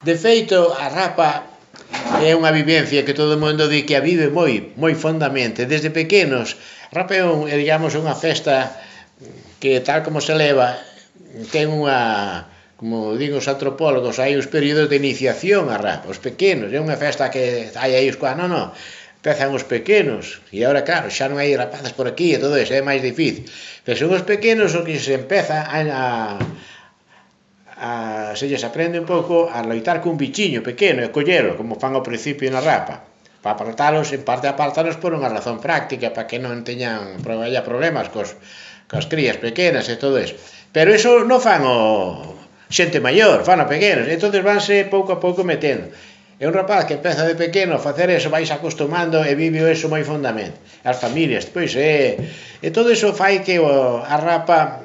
De feito, a rapa é unha vivencia que todo o mundo di que a vive moi fondamente. Desde pequenos, a rapa é, digamos, unha festa que tal como se leva, ten unha, como digo os antropólogos, hai uns períodos de iniciación a rapa, os pequenos, é unha festa que hai aí os non, empezan os pequenos, e agora claro, xa non hai rapazas por aquí e todo eso, é máis difícil, pero son os pequenos os que se empeza se lles aprende un pouco a loitar cun bichiño pequeno e collelo, como fan ao principio na rapa, para apartalos, en parte apartalos por unha razón práctica, para que non teñan problemas cos crías pequenas e todo eso, pero eso non fan o xente maior, fan o pequenos, entonces vanse pouco a pouco metendo. É un rapaz que empeza de pequeno a facer eso, vais acostumando e vive eso moi fondamente. As familias, pois e todo eso fai que a rapa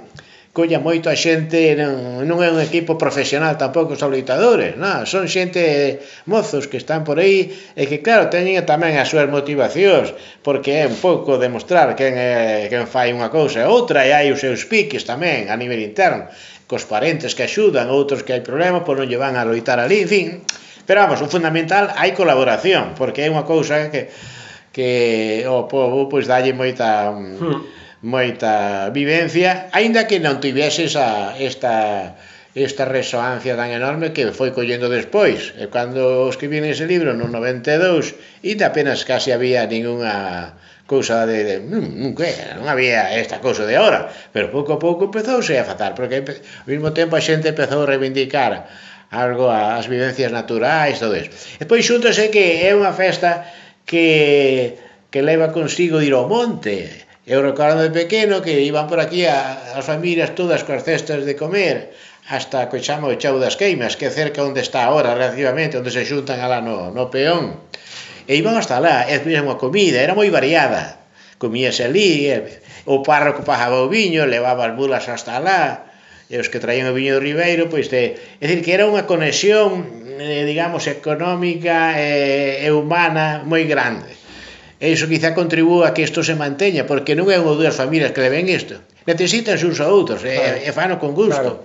colla moito a xente, non é un equipo profesional tampouco os loitadores, non, son xente mozos que están por aí e que claro, teñen tamén as súas motivacións, porque é un pouco demostrar quen fai unha cousa e outra, e hai os seus piques tamén a nivel interno, cos parentes que axudan, outros que hai problemas, pois non lle van a loitar ali, en fin. Pero vamos, o fundamental, hai colaboración, porque é unha cousa que o povo pois dalle moita vivencia, aínda que non tivese esta resoancia tan enorme que foi collendo despois. E cando escribín ese libro no 92, ainda apenas casi había ninguna cousa non había esta cousa de ahora, pero pouco a pouco empezouse a fatar, porque ao mesmo tempo a xente empezou a reivindicar algo as vivencias naturais, todo eso. E pois xúntase que é unha festa que leva consigo ir ao monte. Eu recordo de pequeno que iban por aquí as familias todas coas cestas de comer hasta que chama o Chao das Queimas, que é cerca onde está agora relativamente, onde se xuntan alá no peón, e iban hasta lá, e comían unha comida, era moi variada, comíase ali, o párroco pagaba o viño, levaba as bulas hasta lá, e os que traían o viño do Ribeiro, pois é dicir que era unha conexión, digamos, económica e humana moi grande. E iso quizá contribúa a que isto se manteña, porque non é unha ou dúas familias que le ven isto, necesitan uns a outros, e fano con gusto.